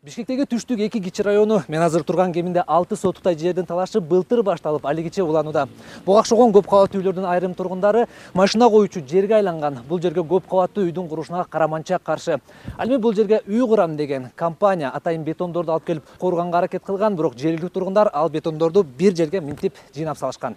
Бишкектеги Түштүк 2 кичи району мен азыр турган кеминде 6 сотуктай жердин талашы былтыр башталып, алигиче уланууда. Буга окшогон көп кабаттуу үйлөрдүн айрым тургундары машина коюучу жерге айланган. Бул жерге көп кабаттуу үйдүн курушуна караманча каршы. Ал эми бул жерге үй курам деген компания атайын бетондорду алып келип куруганга аракет кылган, бирок жергиликтүү тургундар ал бетондорду бир жерге минтип жыйнап салышкан.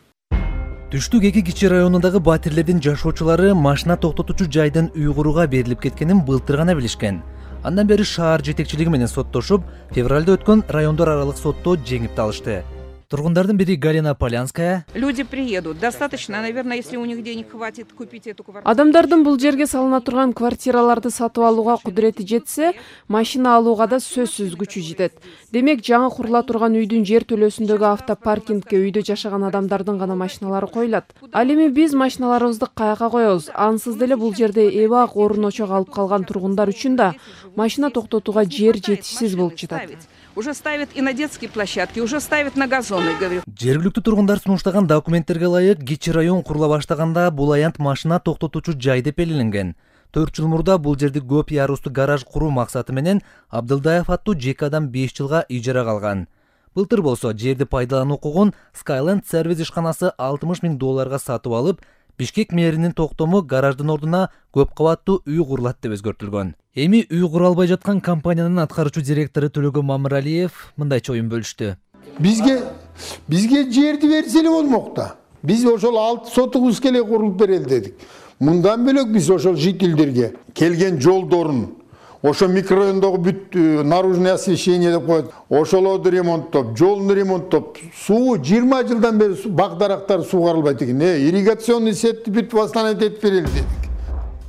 Түштүк 2 кичи районундагы батирлердин жашоочулары машина токтотуучу жайдын үй курууга берилип кеткенин былтыр гана билишкен. Андан бери шаар жетекчилиги менен соттошуп, февралда өткөн райондор аралык сотто жеңип алышты. Тургундардын бири Галина Полянская: Люди приедут. Достаточно, наверное, если у них денег хватит купить эту квартиру. Адамдардын бул жерге салына турган квартираларды сатып алууга кудурети жетсе, машина алууга да сөзсүз күчү жетет. Демек, жаңы курула турган үйдүн жер төлөөсүндөгү автопаркингке үйдө жашаган адамдардын гана машиналары коюлат. Ал эми биз машиналарыбызды каяка коебуз? Ансыз деле бул жерде эбак орун очок алып калган тургундар үчүн да машина токтотууга жер жетишсиз болуп жатат. Уже ставят и на детские площадки, уже ставят на газоны, говорю. Жергиликтүү тургундар сунуштаган документтерге ылайык кичи район курула баштаганда бул аянт машина токтотуучу жай деп белгиленген. 4 жыл мурда бул жерди көп ярустуу гараж куруу максаты менен Абдылдаев аттуу жеке адам 5 жылга ижарага алган. Былтыр болсо жерди пайдалануу укугун Skyland Service ишканасы $60 000 сатып алып, Бишкек мэринин токтому гараждын ордуна көп кабаттуу үй курулат деп өзгөртүлгөн. Эми үй кура албай жаткан компаниянын аткаруучу директору Төлөгөн Мамыралиев мындайча оюн бөлүштү. Бизге жерди берсе эле болмок да. Биз ошол 6 сотубузга эле курулуп берели дедик. Мындан бөлөк биз ошол жителдерге келген жолдорун, ошо микрорайондогу бүт наружное освещение деп коет, ошолорду ремонттоп, жолун ремонттоп, суу 20 жылдан бери бак-дарактар суугарылбайт экен. Ирригационный сетти бүт восстановить этип берели дедик.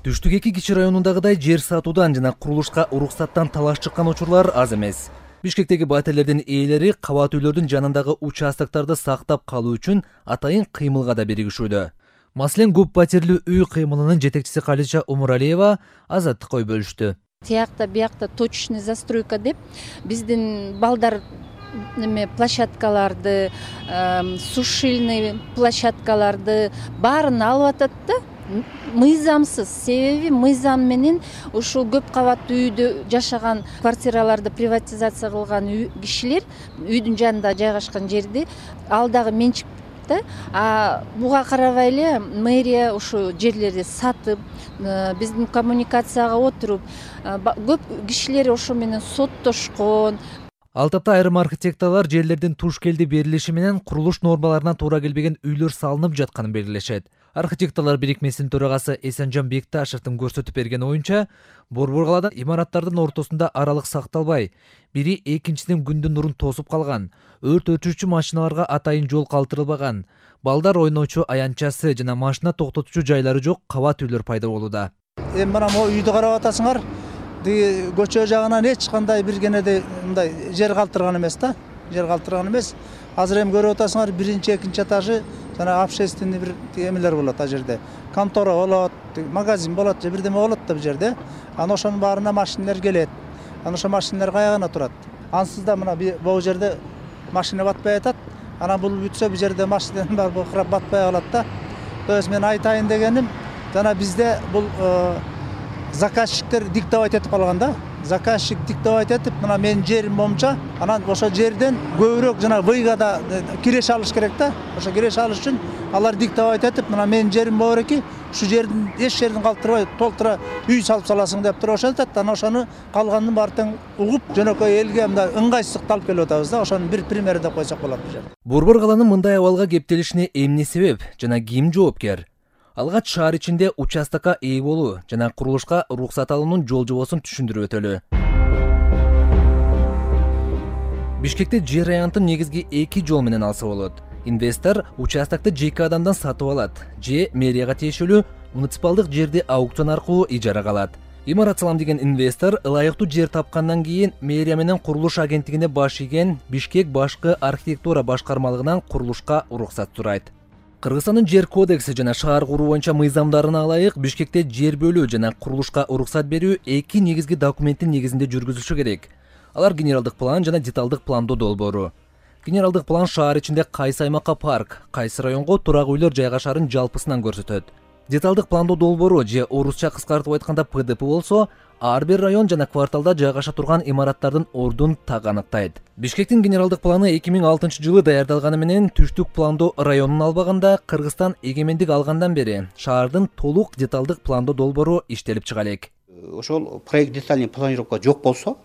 Түштүк 2 кичи районундагыдай жер сатуудан жана курулушка уруксаттан талаш чыккан учурлар аз эмес. Бишкектеги батирлердин ээлери кабат үйлөрдүн жанындагы участоктарды сактап калуу үчүн атайын кыймылга да биригишүүдө. Маселен, көп батирлүү үй кыймылынын жетекчиси Калича Умуралиева Азаттыкка ой бөлүштү. Тиякта биякта точечный застройка деп биздин балдар площадкаларды, сушильный площадкаларды баарын алып атат да. Мыйзамсыз, себеби мыйзам менен ушул көп кабаттуу үйдө жашаган квартираларды приватизация кылган кишилер үйдүн жанында жайгашкан жерди ал дагы менчик да. Буга карабай эле мэрия ушу жерлерди сатып, биздин коммуникацияга отуруп, көп кишилер ошо менен соттошкон. Ал тапта айрым архитекторлор жерлердин туш келди берилиши менен курулуш нормаларына туура келбеген үйлөр салынып жатканын белгилешет. Архитекторлор бирикмесинин төрагасы Эсенжан Бекташевдин көрсөтүп берген оюнча, борбор калада имараттардын ортосунда аралык сакталбай, бири экинчисинин күндүн нурун тосуп калган, өрт өчүрүүчү машиналарга атайын жол калтырылбаган, балдар ойноочу аянтчасы жана машина токтотуучу жайлары жок кабат үйлөр пайда болууда. Эми мына могу үйдү карап атасыңар, көчө жагынан эч кандай бир кенеде мындай жер калтырган эмес да, жер калтырган эмес. Азыр эми көрүп атасыңар, биринчи, экинчи этажы жана общественный бир эмелер болот ал жерде. Контора болот, магазин болот, же бирдеме болот да бул жерде. Ана ошонун баарына машиналар келет. Ана ошо машиналар каягына турат. Ансыз да мына бул жерде машина батпай атат. Ана бул бүтсө бул жерде машиналар бар бокурап батпай калат да. То есть мен айтайын дегеним, жана бизде бул заказчиктер диктовать этип калган да. Заказчик диктовать этип, мына менин жерим момча, анан ошо жерден көбүрөөк жана выйга да киреше алыш керек да. Ошо киреше алыш үчүн алар диктовать этип, мына менин жерим бар эки, ушу жердин эч жерин калтырбай толтура үй салып саласың деп туруп ошентет. Анан ошону калганын баарын угуп, жөнөкөй элге мындай ыңгайсыздыкты алып келип атабыз да. Ошонун бир примери деп койсок болот бул жерде. Борбор калаанын мындай абалга кептелишине эмне себеп жана ким жоопкер? Алгач шаар ичинде участокко ээ болуу жана курулушка уруксат алуунун жол жобосун түшүндүрүп өтөлү. Бишкекте жер аянтын негизги 2 жол менен алса болот. Инвестор участокты жеке адамдан сатып алат, же мэрияга тиешелүү муниципалдык жерди аукцион аркылуу ижарага алат. Имарат салам деген инвестор ылайыктуу жер тапкандан кийин мэрия менен курулуш агенттигине баш ийген Бишкек башкы архитектура башкармалыгынан курулушка уруксат сурайт. Кыргызстандын жер кодекси жана шаар куруу боюнча мыйзамдарына ылайык Бишкекте жер бөлүү жана курулушка уруксат берүү 2 негизги документтин негизинде жүргүзүлүшү керек. Алар генералдык план жана деталдык пландоо долбоору. Генералдык план шаар ичинде кайсы аймакка парк, кайсы районго турак үйлөр жайгашаарын жалпысынан көрсөтөт. Деталдык пландоо долбоору же орусча кыскартып айтканда ПДП болсо, ар бир район жана кварталда жайгаша турган имараттардын ордун так аныктайт. Бишкектин генералдык планы 2006-жылы даярдалганы менен түштүк пландоо районун албаганда Кыргызстан эгемендик алгандан бери шаардын толук деталдык пландоо долбоору иштелип чыга элек. Ошол проект детальный планировка жок болсо,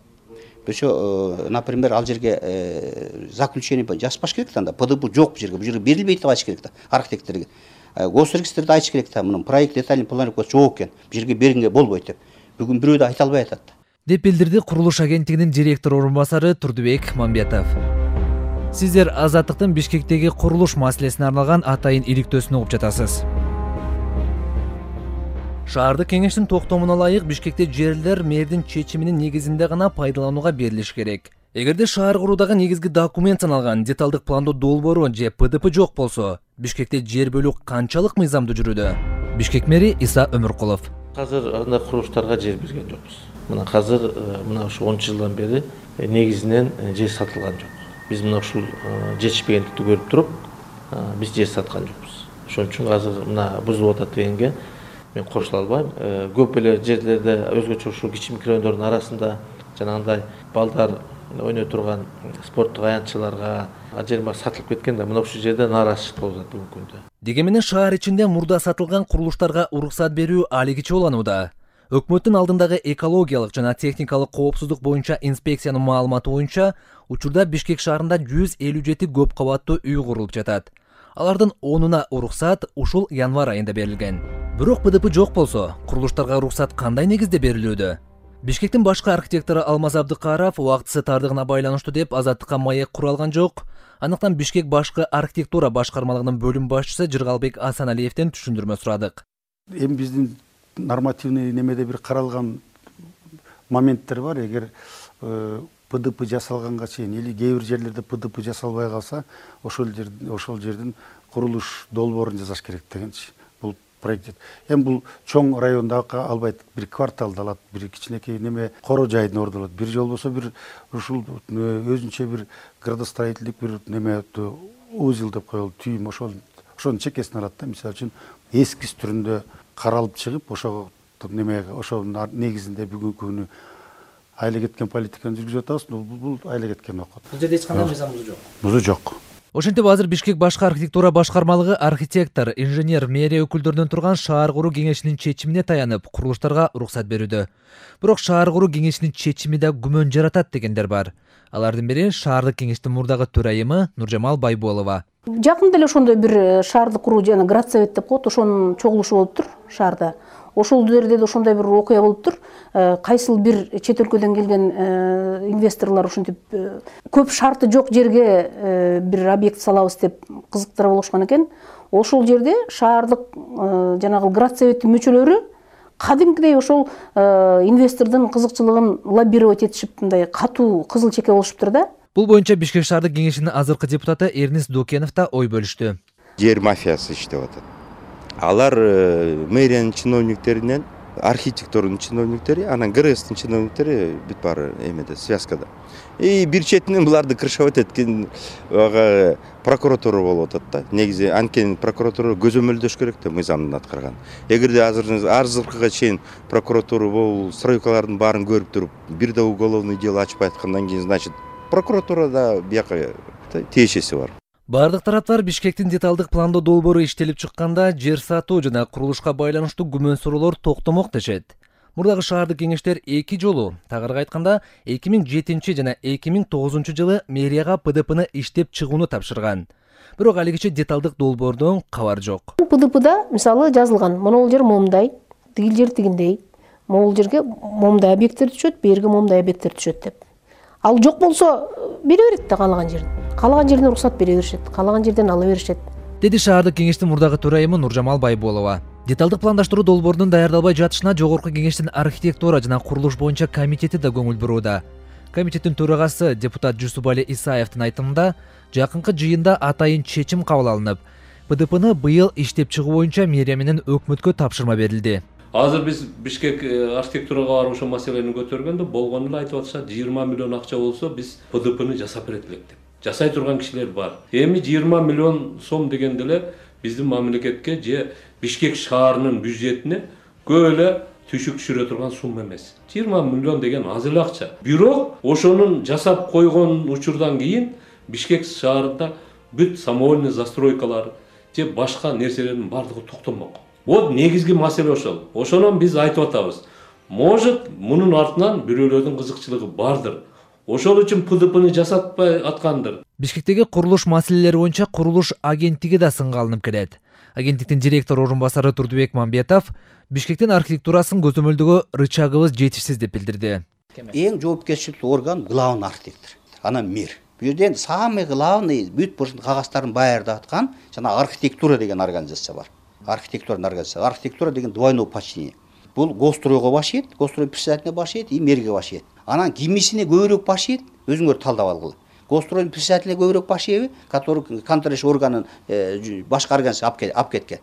например, ал жерге заключение жазбаш керек да, ПДБ жок бул жерге берилбейт деп айтыш керек да архитекторго. Госрегистрде айтыш керек да, мунун проект детальный планировка жок экен, бул жерге бергенге болбойт деп. Бүгүн бирөө да айта албай атат. Деп билдирди курулуш агенттигинин директор орун басары Турдубек Мамбетов. Сиздер Азаттыктын Бишкектеги курулуш маселесине арналган атайын иликтөөсүн угуп жатасыз. Шаардык кеңештин токтомуна ылайык Бишкекте жерлер мэрдин чечиминин негизинде гана пайдаланууга берилиш керек. Эгерде шаар куруудагы негизги документ саналган деталдык пландоо долбоору же ПДП жок болсо, Бишкекте жер бөлүү канчалык мыйзамдуу жүрүүдө? Бишкек мэри Иса Өмүркулов. Азыр андай курулуштарга жер берген жокпуз. Мына азыр мына ушу 10 жылдан бери негизинен жер сатылган жок. Биз мына ушул жетишпегендикти көрүп туруп, биз жер саткан жокпуз. Ошон үчүн азыр мына бузулуп атат дегенге мен кошула албайм. Көп эле жерлерде өзгөчө ушул кичи микрорайондордун арасында жанагындай балдар ойной турган спорттук аянтчыларга жер сатылып кеткен да, мына ушул жерде нааразычылык болуп атат бүгүнкү күндө. Дегенменен шаар ичинде мурда сатылган курулуштарга уруксат берүү алигиче уланууда. Өкмөттүн алдындагы экологиялык жана техникалык коопсуздук боюнча инспекциянын маалыматы боюнча учурда Бишкек шаарында 157 көп кабаттуу үй курулуп жатат. Алардын 10-уна уруксат ушул январь айында берилген. Бирок ПДП жок болсо, курулуштарга уруксат кандай негизде берилүүдө? Бишкектин башкы архитектору Алмаз Абдыкаров убактысы тардыгына байланыштуу деп Азаттыкка маек куралган жок. Анықтан Бишкек башкы архитектура башкармалыгынын бөлүм башчысы Жыргалбек Асаналиевден түшүндүрмө сурадык. Эми биздин нормативный немеде бир каралган моменттер бар. Эгер ПДП жасалганга чейин или кээ бир жерлерде ПДП жасалбай калса, ошол жердин курулуш долбоорун жасаш керек дегенчи. Бул проект. Эми бул чоң райондагы албайт, бир кварталда алат, бир кичинекей неме коро жайдын ордун алат. Бир жол болсо бир ушул өзүнчө бир градостроительдик бир неме узел деп коелу, түйүм ошонун чекесин алат да. Мисалы үчүн эскиз түрүндө каралып чыгып, ошого немеге, ошонун негизинде бүгүнкү күнү айла кеткен политиканы жүргүзүп атабыз. Бул айла кеткен окот. Бул жерде эч кандай мыйзам жок. Бузуу жок. Ошентип азыр Бишкек башкы архитектура башкармалыгы архитектор, инженер, мэрия өкүлдөрүнөн турган шаар куруу кеңешинин чечимине таянып, курулуштарга уруксат берүүдө. Бирок шаар куруу кеңешинин чечими да күмөн жаратат дегендер бар. Алардын бири шаардык кеңештин мурдагы төрайымы Нуржамал Байболова. Жакында эле ошондой бир шаардык куруу жана градсовет деп коет, ошонун чогулушу болуптур шаарда. Ошол жерде да ошондой бир окуя болуптур. Кайсыл бир чет өлкөдөн келген инвесторлор ушинтип көп шарты жок жерге бир объект салабыз деп кызыктыра болушкан экен. Ошол жерде шаардык жанагы градсоветтин мүчөлөрү кадимкидей ошол инвестордун кызыкчылыгын лоббировать этишип, мындай катуу кызыл чеке болушуптур да. Бул боюнча Бишкек шаардык кеңешинин азыркы депутаты Эрнис Дукенов да ой бөлүштү. Жер мафиясы иштеп атат. Алар мэриянын чиновниктеринен, архитектордун чиновниктери, анан ГРСтин чиновниктери бүт баары эмеде, связкада. Бир четинен буларды кыршап эткен прокуратура болуп атат да. Негизи анткени прокуратура көзөмөлдөш керек да мыйзамдын аткарган. Эгерде азыркыга чейин прокуратура бул стройкалардын баарын көрүп туруп, бир да уголовный дело ачпай аткандан кийин, значит, прокуратурада бияка тиешеси бар. Бардык тараптар Бишкектин деталдык пландоо долбоору иштелип чыкканда жер сатуу жана курулушка байланыштуу күмөн суроолор токтомок дешет. Мурдагы шаардык кеңештер 2 жолу, тагыраагы айтканда 2007 жана 2009 жылы мэрияга ПДПны иштеп чыгууну тапшырган. Бирок алигиче деталдык долбоордон кабар жок. ПДПда мисалы жазылган, могул жер момундай, тигил жер тигиндей, могул жерге момундай объекттер түшөт, берге момундай объекттер түшөт деп. Ал жок болсо бере берет да каалаган жерин. Каалаган жерден уруксат бере беришет, каалаган жерден ала беришет. Деди шаардык кеңештин мурдагы төрайымы Нуржамал Байболова. Деталдык пландаштыруу долбоорунун даярдалбай жатышына жогорку кеңештин архитектура жана курулуш боюнча комитети да көңүл бурууда. Комитеттин төрагасы депутат Жусупали Исаевдин айтымында жакынкы жыйында атайын чечим кабыл алынып, ПДПны быйыл иштеп чыгуу боюнча мэрия менен өкмөткө тапшырма берилди. Азыр биз Бишкек архитектурага барып ошол маселени көтөргөндө болгону эле айтып атышат, 20 миллион акча болсо биз ПДПны жасап берет элек деп. Жасай турган кишилер бар. Эми 20 миллион сом дегенде эле биздин мамлекетке же Бишкек шаарынын бюджетине көп эле түшүк түшүрө турган сумма эмес. 20 миллион деген аз эле акча. Бирок ошонун жасап койгон учурдан кийин Бишкек шаарында бүт самовольный застройкалар же башка нерселердин бардыгы токтомок. Вот негизги маселе ошол. Ошонон биз айтып атабыз. Может, мунун артынан бирөөлөрдүн кызыкчылыгы бардыр. Ошол үчүн ПДПны жасатпай аткандыр. Бишкектеги курулуш маселелери боюнча курулуш агенттиги да сынга алынып келет. Агенттиктин директор орун басары Турдубек Мамбетов Бишкектин архитектурасын көзөмөлдөгө рычагыбыз жетишсиз деп билдирди. Эң жоопкерчиликтүү орган главный архитектор, анан мэр. Бул жерден самый главный бүт кагаздарын даярдаткан жана архитектура деген организация бар. Архитектура деген двойное подчинение. Бул Госстройго баш ийет, Госстрой председателине баш ийет, и мэрге баш ийет. Анан кимисине көбүрөөк баш ийет, өзүңөр талдап алгыла. Госстройдун председателине көбүрөөк баш ийеби, который контролирующий органын башка организация алып кеткен.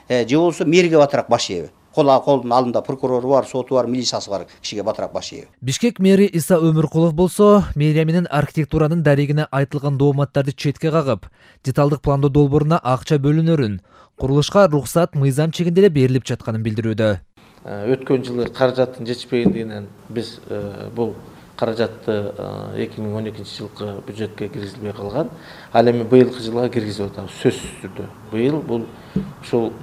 Же болбосо мэрге батыраак баш ийеби. Колдун алдында прокурору бар, соту бар, милициясы бар кишиге батыраак баш ийеби. Бишкек мэри Иса Өмүркулов болсо, мэрия менен архитектуранын дарегине айтылган дооматтарды четке кагып, деталдык пландоо долбооруна акча бөлүнөрүн, курулушка рухсат мыйзам чегинде эле берилип жатканын билдирүүдө. Өткөн жылы каражаттын жетишпегендигинен биз бул каражатты 2012 жылкы бюджетке киргизилбей калган. Ал эми быйылкы жылга киргизип атабыз сөзсүз түрдө. Быйыл бул ушул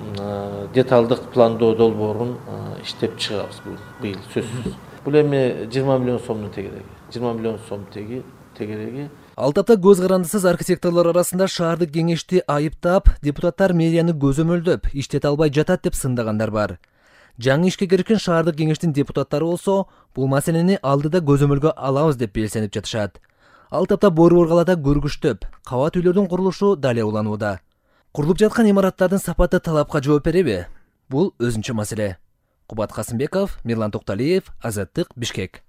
деталдык пландоо долбоорун иштеп чыгабыз быйыл сөзсүз. Бул эми 20 миллион сомдун тегереги. 20 миллион сом тегереги. Ал тапта көз карандысыз архитекторлор арасында шаардык кеңешти айыптап, депутаттар мэрияны көзөмөлдөп, иштете албай жатат деп сындагандар бар. Жаңы ишке киришкен шаардык кеңештин депутаттары болсо, бул маселени алдыда көзөмөлгө алабыз деп белсенип жатышат. Ал тапта Борбор калаада көргүчтөп, кабат үйлөрдүн курулушу дале уланууда. Курулуп жаткан имараттардын сапаты талапка жооп береби? Бул өзүнчө маселе. Кубат Касымбеков, Мирлан Токталиев, Азаттык, Бишкек.